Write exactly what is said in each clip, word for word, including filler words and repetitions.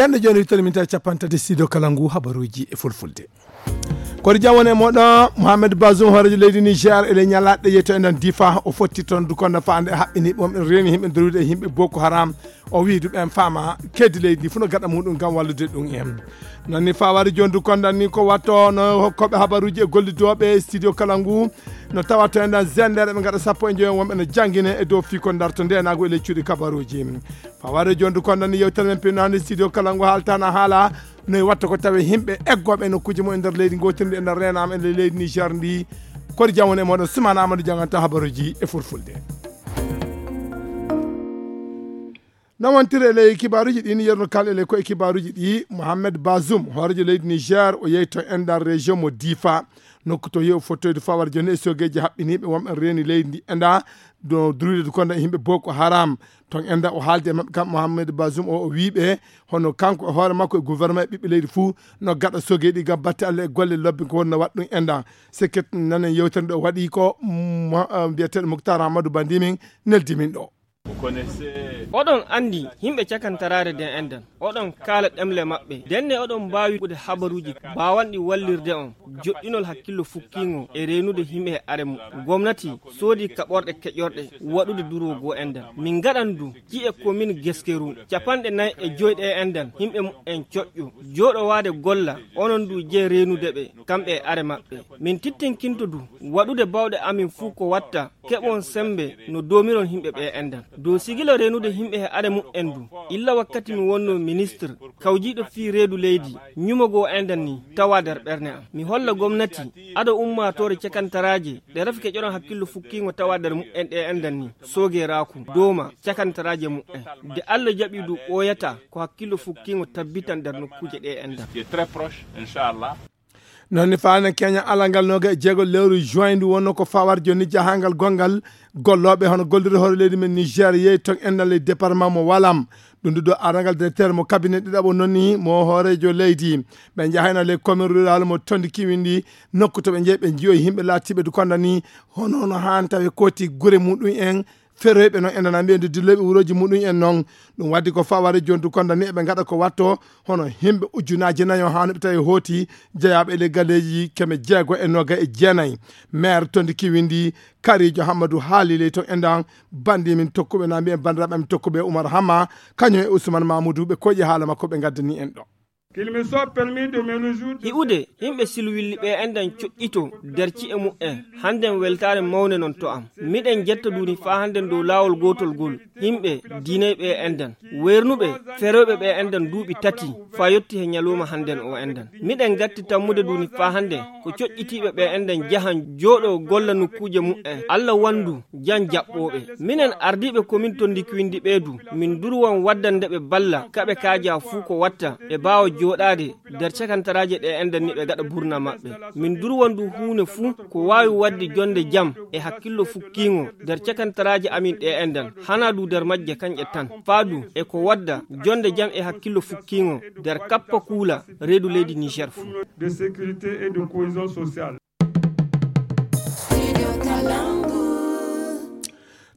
Ɓen ɗo jooni wittere min tawi capanɗe tati studio kala ngu habaruuji e fulfulde. Koɗo jam woni e mooɗon, Mohamed Bazoum, hooreejo leydi Niger, e le ñalaaɗe yetto enɗan Difa, o fotti toon dukonda faande haɓɓiniiɓe wonɓe reeni yimɓe dowrude e yimɓe Boko Haram. O wiyi ɗum en faama keedi leydi ndi fof no gaɗa muɗum ngam wallude ɗum en. Noon ni fawaade jooni dukonda ni ko watto no hokkooɓe habaruuji e gollidooɓe studio kala ngu. No tawa to enɗan zender ɓe ngaɗa sappo e joyo wonɓe no janngine e dow fii ko darto ndeenaagu e ley cuuɗi kabaruuji. Fawaade jooni dukonda ni yewtere men pinnaande studio kala ngu haaltaana haala. Noy watta ko tawe yimɓe eggooɓe e nokkuuji mum e nder leydi gootirndi e nder reenaama e nder leydi Niger ndi. Koɗo jam woni e mooɗon, Sumaana Amadou jannganta habaruuji e fulfulde. Noon wontiri e ley kibaaruuji ɗi ni yerno kala e ley ko e kibaaruuji ɗi, Mohamed Bazoum, hooreejo leydi Niger, o yehi to enɗan région mo Difa. Nokku to yehi o fottoyde fawaade jooni e sogeeji haɓɓiniiɓe wonɓe reeni leydi ndi enɗan, do druide du konda e yimɓe Boko Haram. Ton enɗan o haaldi e maɓɓe kam Mohamed Bazoum o, o wiiɓe, hono kanko e hoore makko e gouvernement e ɓiɓɓe leydi fuu, no gaɗa sogeeɗi ngam batte Allah e golle lobbe ko wonno waɗa ɗum enɗan. Sekket nanen yewtere ɗo waɗi ko, mm, mo-, eh, mbiyeteeɗo Mouctar Amadou Bandi min neldi min ɗo. Oɗon anndi yimɓe cakantaraare nden enɗan. Oɗon kaala ɗemle maɓɓe. Ndenne oɗon mbaawi ɓude habaruuji baawanɗi wallirde on. Joɗɗinol hakkillo fukkiingo e reenude yimɓe e are mum. Gomnati soodi kaɓorɗe keƴorɗe waɗude duroo goo enɗan. Min ngaɗan du ci'e komin Geskeru capanɗe nayi e joy ɗe enɗan yimɓe mum en coƴƴo. Jooɗowaade golla onon du jee reenude ɓe kamɓe e are maɓɓe. Min tittinkinto du waɗude bawɗe amin fuu ko watta keɓon sembe no doomiron yimɓe ɓe enɗan. Dow sigila reenude yimɓe he are muɓɓen du, illa wakkati mi wonno ministre kawjiiɗo fii reedu leydi, ñumogoo enɗan ni tawa nder ɓerne am. Mi holla gomnati, ado ummaatoore cakantaraaje, ɗe rafi keƴoron hakkillo fukkiingo tawa nder muɓɓen ɗe enɗan ni, soogeeraaku, dooma, cakantaraaje muɓɓen. De Alla jaɓi du ɓooyata ko hakkillo fukkiingo tabbitan nder nokkuuje ɗe enɗan. Noon ni faane Kenya alangal nooga e jeego lewru juin ndu wonno ko fawar jonni jahangal gongal gollooɓe hono gollude hoore leydi men Niger yehi ton enɗan ley département mo Walam. Ɗum ndu ɗo arangal directeur mo cabinet ɗiɗaɓo noon ni mo hooreejo leydi. Ɓe njahayno ley commune rural mo Tondi Kiwindi nokku to ɓe njehi ɓe njiyoyi yimɓe laatiiɓe du konda ni hono no haan tawi kooti gure muɗum en. Feroyɓe noon enɗan mbiyen de dilloyɓe wurooji muɗum en noon. Ɗum waddi ko faware jontu konda ni eɓe ngaɗa ko watto hono yimɓe ujunaaji nayo haa no ɓe tawi hooti jeyaaɓe e ley galleeji keme jeego e nooga e jeenayi. Maire Tondi Kiwindi Karijo Hammadu haali ley toon enɗan bandi min tokkuɓe na mbiyen banndiraaɓe amin tokkuɓe Umar Hamma kañum e Ousmane Mamoudou ɓe koƴi haala makko ɓe ngaddani en ɗo. Hi'ude yimɓe silwilli ɓe enɗan coƴƴito nder ci'e muɓɓen. Hannden weltaare mawnde non to am. Miɗen jetta duuni faa hannden dow laawol gootol ngol. Yimɓe diinay ɓe enɗan. Weernuɓe feroyɓe ɓe enɗan duuɓi tati faa yotti he ñalooma hannden o enɗan. Miɗen gatti tammude duuni faa hannde ko coƴƴitiiɓe ɓe enɗan jahan jooɗo golla nokkuuje muɓɓen. Alla wanndu jan jaɓɓooɓe. Minen ardiiɓe komin Tondi Kiwindi ɓee du, min durwan waddande ɓe balla kaɓe kaaja fuu ko watta ɓe baawa jooɗaade nder cakantaraaje ɗe enɗan ni ɓe gaɗa burna maɓɓe. Min durwan du huune fuu ko waawi wadde jonde jam e hakkillo fukkiingo nder cakantaraaje amin ɗe enɗan. Hanaa du nder majje kañƴe tan. Faa du e ko wadda jonde jam e hakkillo fukkiingo nder kappa kuula reedu leydi Niger fuu.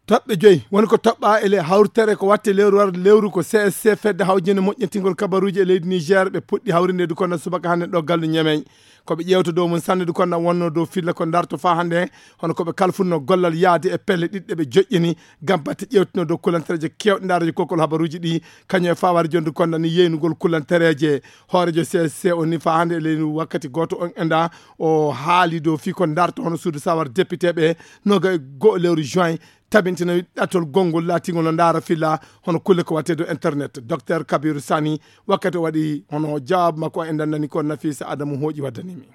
Toɓɓe joyi woni ko toɓɓaa e le hawritere ko watte lewru warde lewru ko C S C fedde hawjinde moƴƴintingol kabaruuji e leydi Niger ɓe puɗɗi hawrinde du kono subaka hannde ɗo gallu Ñemey. Ko ɓe ƴeewta dow mum sanne du kono wonno dow filla ko darto faa hannde hono ko ɓe kalfunno gollal yaade e pelle ɗiɗɗe ɓe joƴƴini ngam batte ƴeewtino dow kulantereeje keewɗe ndaareeje kokol habaruuji ɗi kañum e fawaade jonde kono ni yeynugol kulantereeje hooreejo C S C o ni faa hannde e leydi wakkati gooto on enɗan o haali dow fii ko darto hono suudu sawar député ɓe noga e go'o lewru juin tabintina ɗattol gonngol laatingol no ndaara filla hono kulle ko watte dow internet. Docteur Kabiru Sani wakkati o waɗi hono jawaabu makko o enɗan nani ko Nafisa Adamu hooƴi waddani min.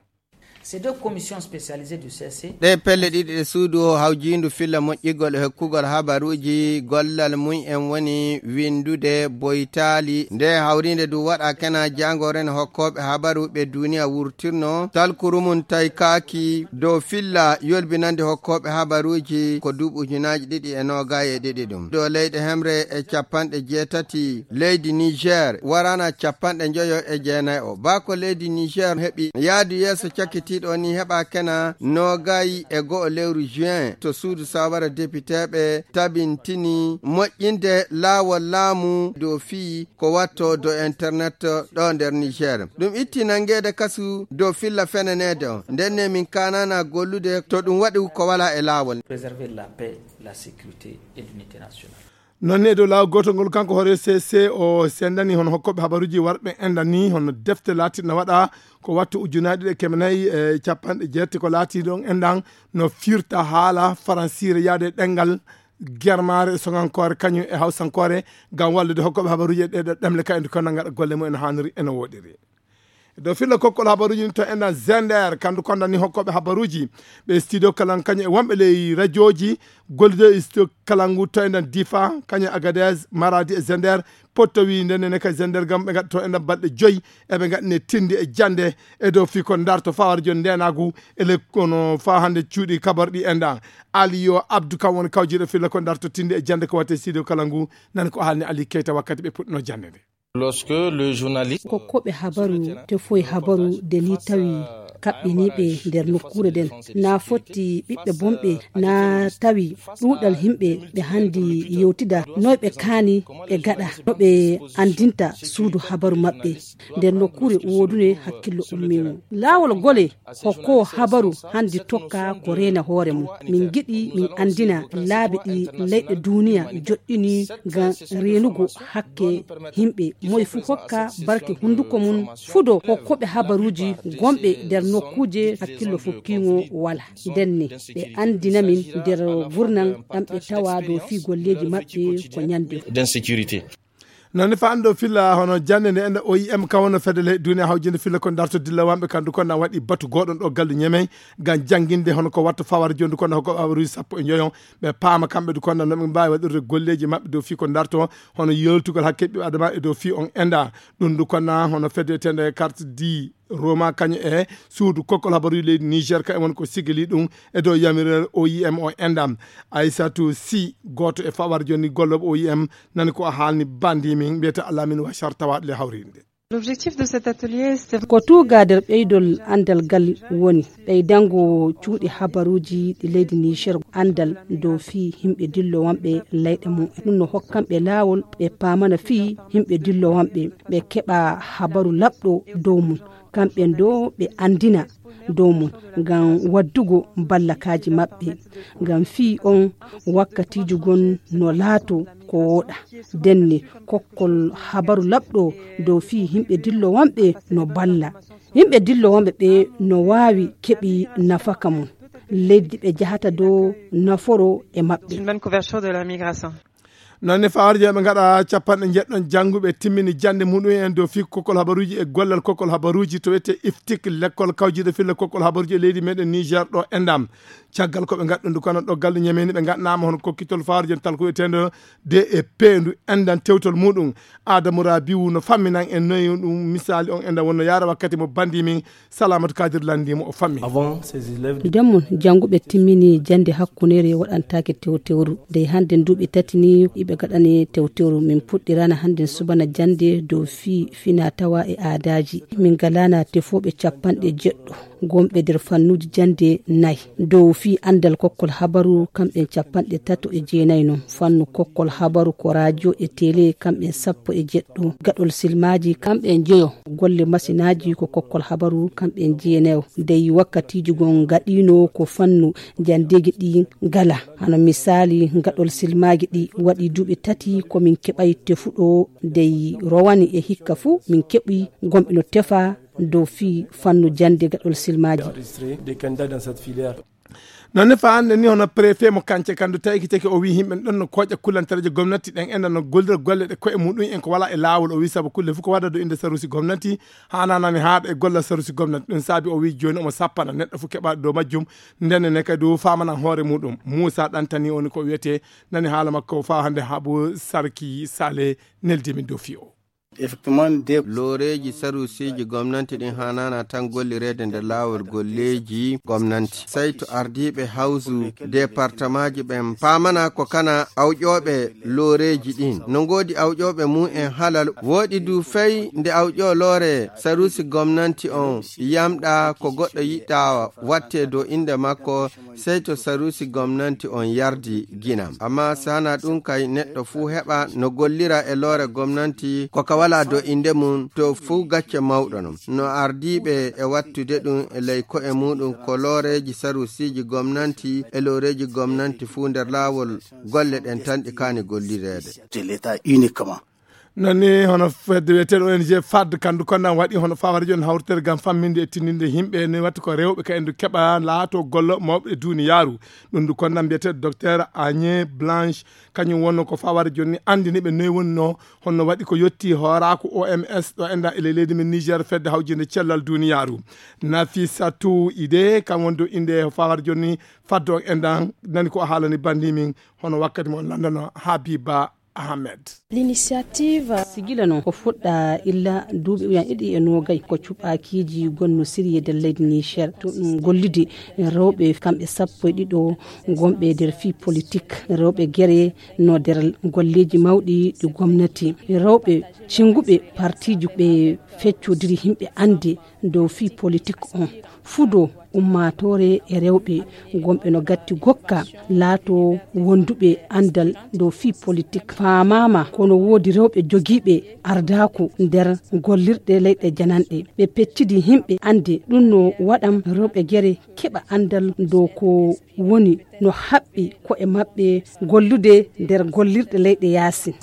Ɗe pelle ɗiɗi ɗe suudu o hawjiindu filla moƴƴigol e hokkugol habaruuji gollal mum en woni winndude boytaali nde hawriinde du waɗa kena jaangoren hokkooɓe habaru ɓe duuniya wurtirno talkuru mum tawi kaaki dow filla yolbinande hokkooɓe habaruuji ko duuɓi ujunaaji ɗiɗi e noogay e ɗiɗi ɗum dow leyɗe hemre e capanɗe jeetati leydi Niger warana capanɗe njoyo e jeenayo baa ko leydi Niger heɓi yaadu yeeso cakkiti Ɗo ni heɓa kena noogay e go'o lewru juin to suudu sawara depiteeɓe tabintini moƴƴinde laawol laamu dow fii ko watto dow internet ɗo nder Niger. Ɗum itti nangeede kasu dow filla fenaneede on. Nden ne min kaanana gollude to ɗum waɗi ko wala e laawol. Préserver la paix, la sécurité et l'unité nationale. Noon ne e dow laawol gootol ngol kanko hoore C C o sendani hono hokkooɓe habaruuji warɓe enɗan ni hono defte laatirɗe na waɗa ko wattu ujunaaji ɗiɗi e keme nayi e capanɗe jeetati ko laati ɗon enɗan no firta haala faransiire yaade ɗemngal germaare e soŋankoore kañum e hawsankoore ngam wallude hokkooɓe habaruuji e ɗeeɗo ɗemle ka endu kono ngaɗa golle mum eno haaniri eno woɗiri. E dow filla kokkol habaruuji ni to enɗan Zender kandu kondani hokkooɓe habaruuji ɓe studio kalan kañum e wonɓe ley radiooji gollido e studio kalangu to enɗan Difa kañum Agadez Maradi e Zender potto wi nden nene ka Zender gam ɓe ngaɗa to enɗan balɗe joyi eɓe ngaɗane tindi e jande e dow fii ko darto fawar jon ndenagu e le kono fa hande cuuɗi kabar ɗi enɗan. Aliyo Abdou kam woni kawjiɗo filla ko darto tindi e jande ko watte studio kalangu nani ko haalni Ali Keita wakkati ɓe puɗɗino jande nde. Lorsque le journaliste ko koɓe habaru tefoy habaru de ni tawi kaɓɓiniiɓe nder nokkuure nden na fotti ɓiɓɓe bonɓe na tawi ɗuuɗal himɓe ɓe handi yewtida noy ɓe kaani ɓe gaɗa no ɓe andinta suudu habaru maɓɓe nder nokkuure woodune hakkillo ummimu laawol gole hokko habaru handi tokka ko reena hoore mum min giɗi min andina laabi ɗi leyɗe duniya joɗɗini ngam reenugo hakke yimɓe moy fuu hokka barke hunduko mum fudo hokkoɓe habaruuji gonɓe nder nokkuuje hakkillo fukkiŋo wala ndenne ɓe andina min nder gurnal ɗam ɓe tawa dow fii golleeji maɓɓe ko ñande d'insécurité. Noon ne fa anndo filla hono jannde nde enɗa O I M kam wonno fedde ley duniya hawjinde filla ko darto dilla wamɓe kandu kon na waɗi batu goɗon ɗo gallu ñemey ngam jannginde hono ko watta fawar jondu kono hoko abaruji sappo e njoyon ɓe paama kamɓe du kono no ɓe mbaawi waɗirde golleeji maɓɓe dow fii ko darto hono yoltugol hakke ɓiɓɓe adama e dow fii on enda ɗum du kono hono fedde etende carte di Roma kañum e suudu kokkol habaruji leydi Niger ka e won ko sigili ɗum e dow yamiral O I M o endam. Aissatou Sy gooto e fawar joni gollooɓe O I M nani ko a haalni bandi min mbiyata Alamine Wachar tawaaɗo le hawrinde. L'objectif de cet atelier, c'est ko tuuga nder ɓeydol andal gal woni ɓeydango cuuɗi habaruuji ɗi leydi Niger andal dow fii yimɓe dillowanɓe leyɗe mum ɗum no hokkanɓe laawol ɓe paamana fii yimɓe dillowanɓe ɓe keɓa habaru laɓɗo dow mum kamɓen do ɓe andina dow mum ngam waddugo ballakaaji maɓɓe ngam fii on wakkatiiju gon no laato ko wooɗa denne kokkol habaru laɓɗo dow fii yimɓe dillowanɓe no balla yimɓe dillowanɓe ɓe no waawi keɓi nafaka mum leydi ɓe jahata dow naforo e maɓɓe. Une bonne couverture de la migration. Noon ne fawarje ɓe ngaɗa capanɗe njeɗɗon jannguɓe timmini jannde muɗum en dow fii kokkol habaruuji e gollal kokkol habaruuji to wiyete iftik lekkol kawjiɗo filla kokkol habaruuji e leydi meɗen Niger ɗo endam caggal ko ɓe ngaɗɗundu kono ɗo gallu ñameni ɓe ngaɗnama hono kokkitol fawarje tal ko wiyetendo de e peendu endan tewtol muɗum. Adamu Rabiu no famminan en noyi ɗum misali on endan wonno yara wakkati mo bandi min Salamatu Kadir landimo o fammi. Avant ces élèves de ndemon jannguɓe timmini jannde hakkunere waɗantaake tewtewru dey hannde duuɓi tati ni iɓe gaɗani tewtewru min puɗɗirana hannde subana jannde dow fii fina tawa e aadaaji min ngalana tefooɓe capanɗe jeɗɗo gonɓe nder fannuuji jannde nayi dow fii anndal kokkol habaru kamɓen capanɗe tato e jeenayi non fannu kokkol habaru ko radio e tele kamɓen sappo e jeɗɗo gaɗol silmaaji kamɓen jeyo golle masinaaji ko kokkol habaru kamɓen jeenayo dey wakkatiiji gon gaɗino ko fannu janndeeji ɗi ngala hano misaali gaɗol silmaaji ɗi waɗi duuɓi tati komin keɓay tefuɗo dey rowani e hikka fuu min keɓi gonɓe no tefa dow fii fannu jannde gaɗol silmaaji. Noon ne fa hannde ni hono préfet mo kance kandu tawi kiteke o wi yimɓe ɗon no kooƴa kullantereje gomnati ɗen enda no gollira golle ɗe koye muɗum en ko wala e laawol o wi sabu kulle fof ko waɗa do inde sarusi gomnati hananani haaɗa e golla sarusi gomnati ɗum saabi o wi joni omo sappana neɗɗo fof keɓaɗo dow majjum ndenne ne kadi o famanan hoore muɗum Moussa Ɗantani woni ko wiyete nani haala makko fa hannde Habu Sarki Sale neldi min dow fii o. Looreeji saruusiiji gomnanti ɗin haanaana tan gollireede nder laawol golleeji gomnanti. Sey to ardiiɓe hawsu departamaaji ɓen paamana ko kana awƴooɓe looreeji ɗin. No ngoodi awƴooɓe mum en halal. Wooɗi du fey nde awƴoo loore saruusi gomnanti on yamɗa ko goɗɗo yiɗɗa wattee dow innde makko, sey to saruusi gomnanti on yardi ginam. Amma saana ɗum kay neɗɗo fuu heɓa no gollira e loore gomnanti ko ka walaa dow innde mum to fuu gacce mawɗo non. No ardiiɓe e wattude ɗum e ley ko'e muɗum ko looreeji saruusiiji gomnanti e looreeji gomnanti fuu nder laawol golle ɗen tan ɗi kaani gollireede. Non ni hono fedde wiyeteeɗo O N G fad kandu konnan waɗi hono fawara jooni hawritere ngam famminde e tindinde yimɓe ni watti ko rewɓe ka endu keɓa laato gollo mawɓe e duniyaaru. Ɗum ndu konnan mbiyeteeɗo docteur Agnès Blanche, kañum wonno ko fawara jooni anndini ɓe noy wonno honno waɗi ko yotti hooraaku O M S ɗo enda e ley leydi men Niger fedde hawjinde cellal duniyaaru. Nafissatou Idé kam woni dow innde fawara jooni faddo endan nani ko o haalani bandi min hono wakkati mo landano Habiba Ahmed. L'initiative sigila noon ko fuɗɗa illa duuɓi ujan ɗiɗi e noogay ko cuɓaakiiji gonno siriyee nder leydi Niger to ɗum gollude rewɓe kamɓe sappo e ɗiɗo gonɓe nder fii politik rewɓe gere no nder golleeji mawɗi ɗi gomnati rewɓe cinguɓe partiiji ɓe feccodiri yimɓe annde dow fii politik on fudo ummaatoore e rewɓe gonɓe no gatti gokka laato wonduɓe anndal dow fii politik faamaama kono woodi rewɓe jogiiɓe ardaaku nder gollirɗe leyɗe jananɗe ɓe peccidi yimɓe annde ɗum no waɗam rewɓe gere keɓa anndal dow ko woni no haɓɓi ko'e maɓɓe gollude nder gollirɗe leyɗe yaasin.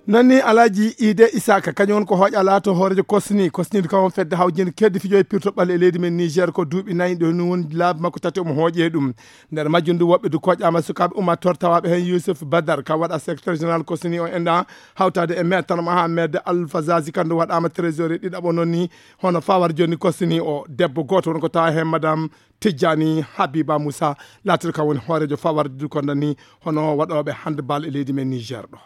Nani Alaaji Ide Isaka kañum woni ko hooƴa laato hooreejo kosni kosniiɗo kam on fedde hawjinde keddi fijo e pirto ɓalle e leydi men Niger ko duuɓi nayi ɗo ni woni laabi makko tati omo hooƴe ɗum. Nder majjum ndu woɓɓe du koƴaama sukaaɓe ummattore tawaaɓe heen Yusuf Badar kam waɗa secrétaire général kosni o enda hawtaade e maître Mohamed Alfazazi kandu waɗaama trésorier ɗiɗaɓo noon ni hono fawar jooni kosni o debbo gooto woni ko tawa heen madame Tijjani Habiba Moussa laatiiɗo kam woni hooreejo fawarde du konda ni hono waɗooɓe handball e leydi men Niger ɗo.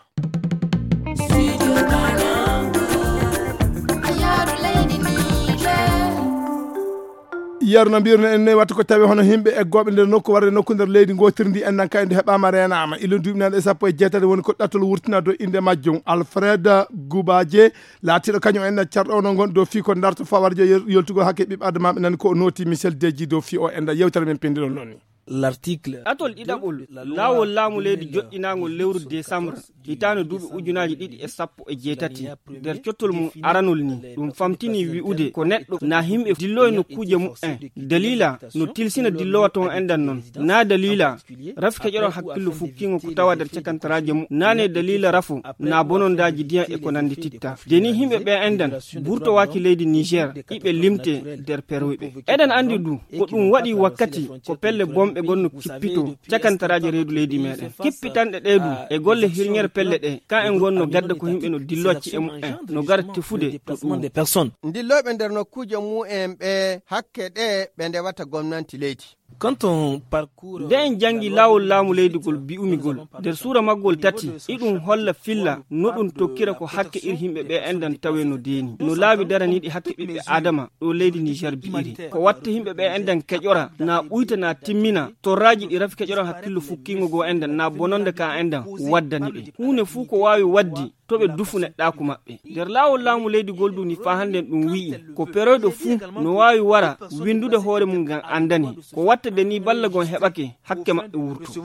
Yeru no mbirno en noy watta ko tawi hono himɓe eggooɓe nder nokku warde nokku nder leydi gotirndi en nan kayde heɓama renama ilo duuɓi nan e sappo e jeetati woni ko ɗattol wurtina do inde majjum Alfred Gubaje. Laatiiɗo kañum en carɗo onon gonɗo dow fii ko darto fawarjo yoltugol hakke ɓiɓɓe adamaaɓe nani ko o nooti Michel Deji dow fii o enda yewtere men pindiɗon noon ni. L'article atol ɗiɗaɓol laawol laamu leydi joɗɗinaangol lewru décembre hitaande duuɓi ujunaaji ɗiɗi e sappo e jeetati nder cottol mum aranol ni ɗum famtini wi'ude ko neɗɗo na himɓe dillo e nokkuuje mumen dalila no tilsina dillowa toon enɗan noon na dalila rafi keƴoɗon hakkillo fukkiingo ko tawa nder cakantaraaji mum nane dalila rafo na bonondaaji diyan e ko nanndi titta de ni himɓe ɓe enɗan burtowaaki leydi niger iɓe limte nder peroyɓe eɗen anndi ɗum ko ɗum waɗi wakkati ko pelle bonɓe gonno kippito cakantaraaji reedu leydi meɗen kippitanɗe ɗe ɗum e golle hirñere pelle ɗe ka en gonno gadda ko yimɓe no dillocci e mumen no gara tefude to ɗum. Ndilloyɓe nder nokkuuje mumen ɓe hakke ɗe ɓe ndewata gomnanti leydi. Nde en janngi laawol laamu leydi ngol bi'umi ngol nder suura maggol tati iɗum holla filla no ɗum tokkira ko hakke ir yimɓe ɓe enɗan tawe no deeni no laawi daraniiɗi hakke ɓiɓɓe aadama ɗo leydi niger bi'iri ko watta yimɓe ɓe enɗan keƴora na ɓuyta na timmina torraaji ɗi rafi keƴoran hakkillo fukkiingo goo enɗan na bononde ka enɗan waddani ɓe huunde fuu ko waawi waddi to ɓe dufu neɗɗaaku maɓɓe nder laawol laamu leydi ngol duni faa hannden ɗum wi'i ko peroyɗo fuu no waawi wara winndude hoore mum ngam anndane ko wattade ni balla gon heɓake hakke maɓɓe wurto.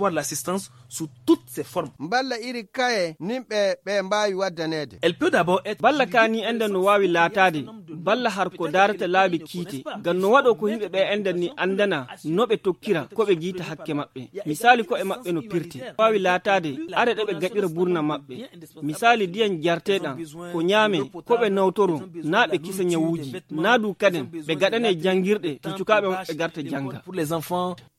Mballa iri kaye nimɓe ɓe mbaawi waddaneede. Balla ka ni enɗan no waawi laataade balla har ko daarata laabi kiite ngam no waɗo ko yimɓe ɓe enɗan ni anndana no ɓe tokkira ko ɓe ngiita hakke maɓɓe misaali ko'e maɓɓe no pirte waawi laataade are ɗe ɓe gaɗira burna maɓɓe misaali ndiyan jarteɗan ko ñaame ko ɓe nawtoro na ɓe kisa ñawuuji na du kaden ɓe gaɗane janngirɗe to cukaaɓe maɓɓe garta jannga.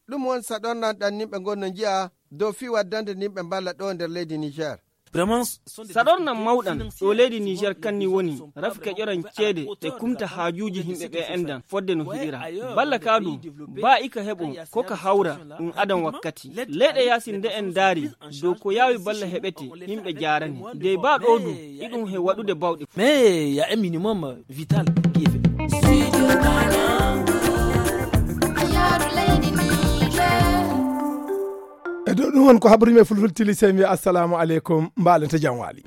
Ɗum won saɗornan ɗan nimɓe ngon no nji'a dow fii waddande nimɓe mballa ɗo nder leydi niger. Saɗornan mawɗan ɗo leydi Niger kanni woni rafi keƴoran ceede e kumta haajuuji yimɓe ɓe enɗan fodde no hiɗira. Balla ka du, ba ika heɓo ko ka hawra ɗum adan wakkati. Leyɗe yaasin nde en ndaari dow ko yaawi balla heɓete, yimɓe jaarani. Dey ba ɗo du, iɗum he waɗude bawɗe. Mais il y a un minimum vital qui est fait. E dow ɗum won ko habri me fulful tili sey mi assalamu aleykum, mbaalen to jam waali.